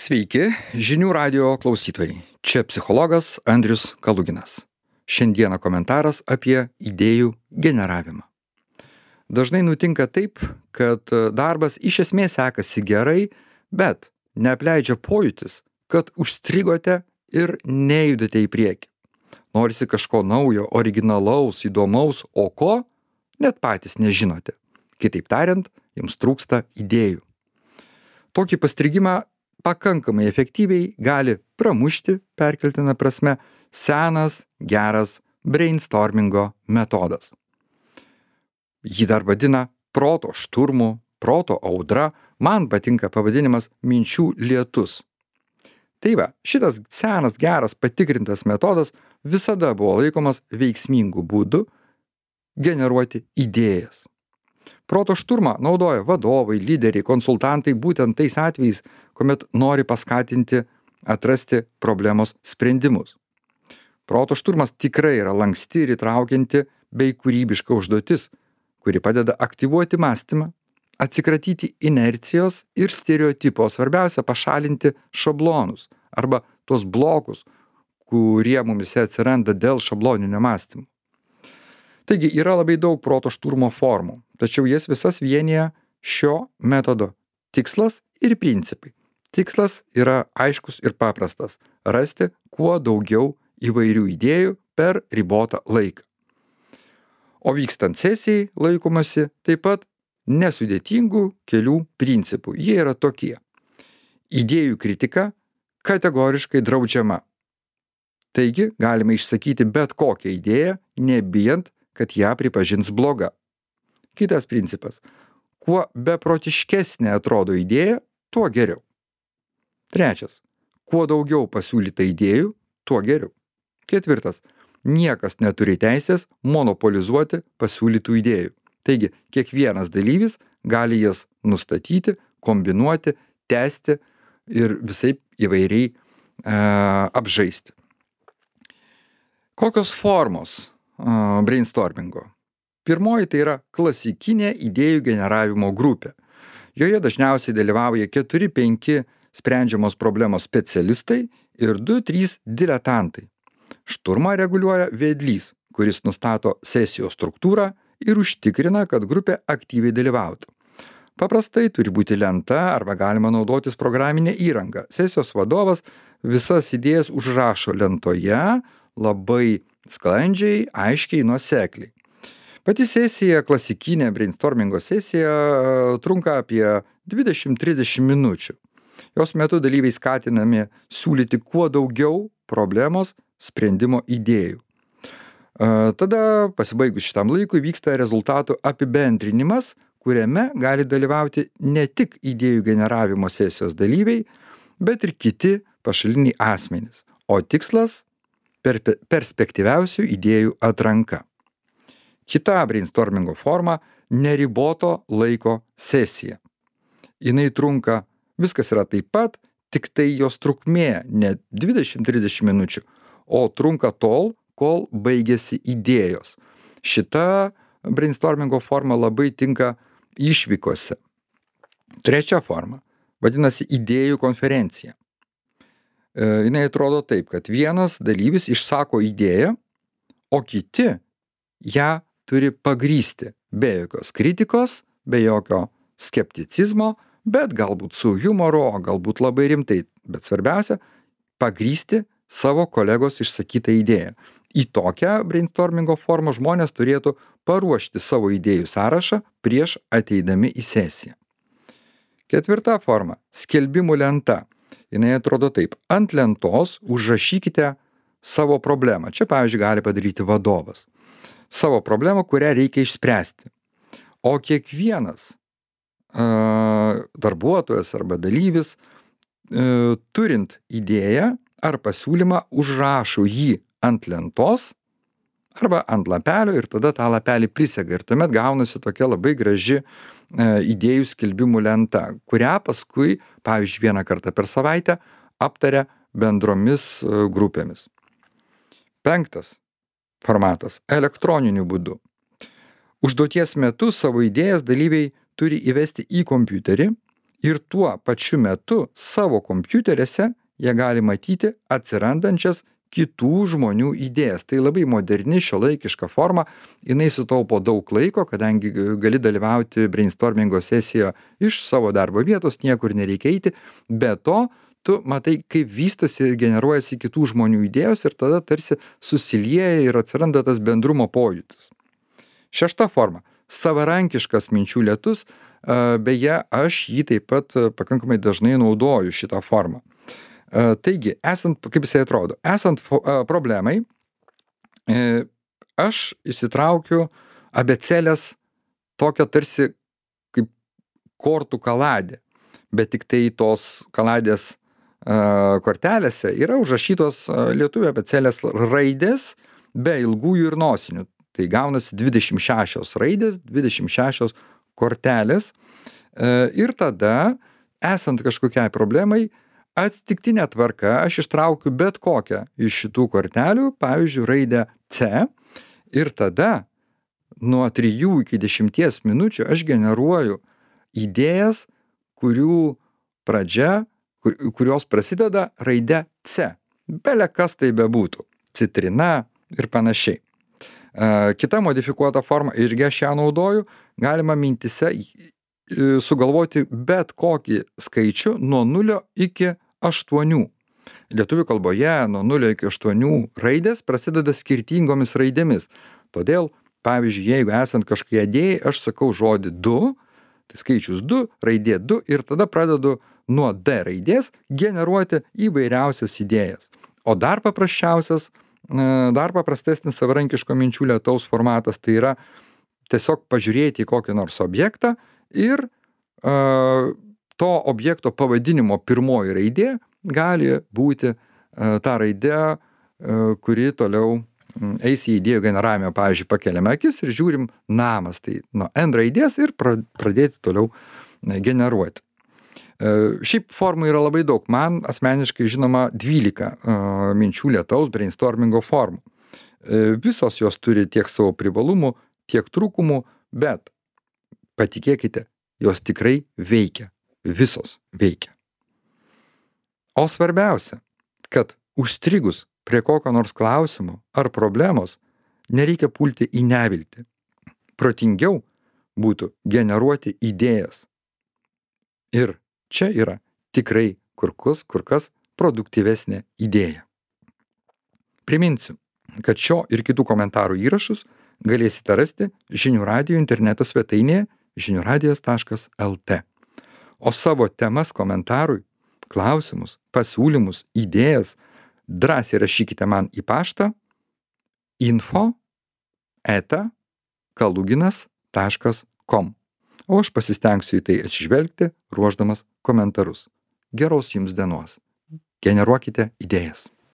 Sveiki, žinių radio klausytojai. Čia psichologas Andrius Kaluginas. Šiandieną komentaras apie idėjų generavimą. Dažnai nutinka taip, kad darbas iš esmės sekasi gerai, bet neapleidžia pojūtis, kad užstrigote ir nejudate į priekį. Norisi kažko naujo, originalaus, įdomaus, o ko net patys nežinote. Kitaip tariant, jums trūksta idėjų. Tokį pastrigimą pakankamai efektyviai gali pramušti, perkeltina prasme, senas, geras brainstormingo metodas. Jį dar vadina proto šturmu, proto audra, man patinka pavadinimas minčių lietus. Tai va, šitas senas, geras, patikrintas metodas visada buvo laikomas veiksmingu būdu generuoti idėjas. Proto šturmą naudoja vadovai, lyderiai, konsultantai būtent tais atvejais, kuomet nori paskatinti atrasti problemos sprendimus. Proto šturmas tikrai yra lanksti ir įtraukianti bei kūrybiška užduotis, kuri padeda aktyvuoti mąstymą, atsikratyti inercijos ir stereotipo, svarbiausia pašalinti šablonus arba tuos blokus, kurie mumise atsiranda dėl šabloninio mąstymo. Taigi yra labai daug proto šturmo formų, tačiau jas visas vienija šio metodo tikslas ir principai. Tikslas yra aiškus ir paprastas – rasti kuo daugiau įvairių idėjų per ribotą laiką. O vykstant sesijai laikomasi taip pat nesudėtingų kelių principų. Jie yra tokie. Idėjų kritika kategoriškai draudžiama. Taigi galime išsakyti bet kokią idėją, nebijant, kad ją pripažins bloga. Kitas principas. Kuo beprotiškesnė atrodo idėja, tuo geriau. Trečias. Kuo daugiau pasiūlyta idėjų, tuo geriau. Ketvirtas. Niekas neturi teisės monopolizuoti pasiūlytų idėjų. Taigi, kiekvienas dalyvis gali jas nustatyti, kombinuoti, tęsti ir visaip įvairiai apžaisti. Kokios formos brainstormingo? Pirmoji tai yra klasikinė idėjų generavimo grupė. Joje dažniausiai dalyvauja 4-5 sprendžiamos problemos specialistai ir 2-3 diletantai. Šturmą reguliuoja vedlys, kuris nustato sesijos struktūrą ir užtikrina, kad grupė aktyviai dalyvautų. Paprastai turi būti lenta arba galima naudotis programinė įranga. Sesijos vadovas visas idėjas užrašo lentoje labai sklandžiai, aiškiai, nuosekliai. Pati sesija, klasikinė brainstormingo sesija, trunka apie 20-30 minučių. Jos metu dalyviai skatinami siūlyti kuo daugiau problemos sprendimo idėjų. Tada, pasibaigus šitam laikui, vyksta rezultatų apibendrinimas, kuriame gali dalyvauti ne tik idėjų generavimo sesijos dalyviai, bet ir kiti pašaliniai asmenys. O tikslas – perspektyviausių idėjų atranka. Kita brainstormingo forma – neriboto laiko sesija. Jinai trunka, viskas yra taip pat, tik tai jos trukmė ne 20-30 minučių, o trunka tol, kol baigėsi idėjos. Šita brainstormingo forma labai tinka išvykose. Trečia forma vadinasi idėjų konferencija. Jinai atrodo taip, kad vienas dalyvis išsako idėją, o kiti ją turi pagrįsti be jokios kritikos, be jokio skepticizmo, bet galbūt su humoru, o galbūt labai rimtai. Bet svarbiausia – pagrįsti savo kolegos išsakytą idėją. Į tokią brainstormingo formą žmonės turėtų paruošti savo idėjų sąrašą prieš ateidami į sesiją. Ketvirta forma – skelbimų lenta. Jinai atrodo taip. Ant lentos užrašykite savo problemą. Čia, pavyzdžiui, gali padaryti vadovas. Savo problemą, kurią reikia išspręsti. O kiekvienas darbuotojas arba dalyvis, turint idėją ar pasiūlymą, užrašo jį ant lentos arba ant lapelio ir tada tą lapelį prisega. Ir tuomet gaunasi tokia labai graži idėjų skelbimų lenta, kurią paskui, pavyzdžiui, vieną kartą per savaitę aptaria bendromis grupėmis. Penktas formatas – elektroniniu būdu. Užduoties metu savo idėjas dalyviai turi įvesti į kompiuterį Ir tuo pačiu metu savo kompiuteriuose jie gali matyti atsirandančias kitų žmonių idėjas. Tai labai moderni, šiuolaikiška forma, jinai sutaupo daug laiko, kadangi gali dalyvauti brainstormingo sesijoje iš savo darbo vietos, niekur nereikia eiti. Be to, tu matai, kaip vystosi ir generuojasi kitų žmonių idėjos ir tada tarsi susilieja ir atsiranda tas bendrumo pojūtis. Šešta forma - savarankiškas minčių lietus. Beje, aš jį taip pat pakankamai dažnai naudoju šitą formą. Taigi, kaip jisai atrodo, esant problemai, aš įsitraukiu abėcėlės tokią tarsi kaip kortų kaladė, bet tik tai tos kaladės kortelėse yra užrašytos lietuvių abėcėlės raidės be ilgųjų ir nosinių. Tai gaunasi 26 raidės, 26 kortelės. Ir tada, esant kažkokiai problemai, atsitiktinė tvarka aš ištraukiu bet kokią iš šitų kortelių, pavyzdžiui, raidę C, ir tada nuo 3 iki 10 minučių aš generuoju idėjas, kurios prasideda raide C. Bele kas tai bebūtų. Citrina ir panašiai. Kita modifikuota forma, irgi aš ją naudoju, galima mintise sugalvoti bet kokį skaičių nuo 0 iki 8. Lietuvių kalboje nuo 0 iki 8 raidės prasideda skirtingomis raidėmis. Todėl, pavyzdžiui, jeigu esant kažkokiai idėjai, aš sakau žodį 2, tai skaičius 2, raidė 2 ir tada pradedu nuo D raidės generuoti įvairiausias idėjas. O dar paprastesnis savarankiško minčių lietaus formatas tai yra tiesiog pažiūrėti į kokį nors objektą ir to objekto pavadinimo pirmoji raidė gali būti ta raidė, kuri toliau eis į idėjų generavimą. Pavyzdžiui, pakeliame akis ir žiūrim namas, tai nuo N raidės ir pradėti toliau generuoti. Šiaip formų yra labai daug. Man asmeniškai žinoma 12 minčių lietaus brainstormingo formų. Visos jos turi tiek savo privalumų, tiek trūkumų, bet patikėkite, jos tikrai veikia. Visos veikia. O svarbiausia, kad užstrigus prie kokio nors klausimo ar problemos nereikia pulti į neviltį. Protingiau būtų generuoti idėjas. Ir čia yra tikrai kur kas produktyvesnė idėja. Priminsiu, kad šio ir kitų komentarų įrašus galėsite rasti Žinių radijo interneto svetainėje žiniuradijas.lt. O savo temas komentarui, klausimus, pasiūlymus, idėjas drąsiai rašykite man į paštą info@kaluginas.com. O aš pasistengsiu į tai atsižvelgti, ruošdamas komentarus. Geros jums dienos. Generuokite idėjas.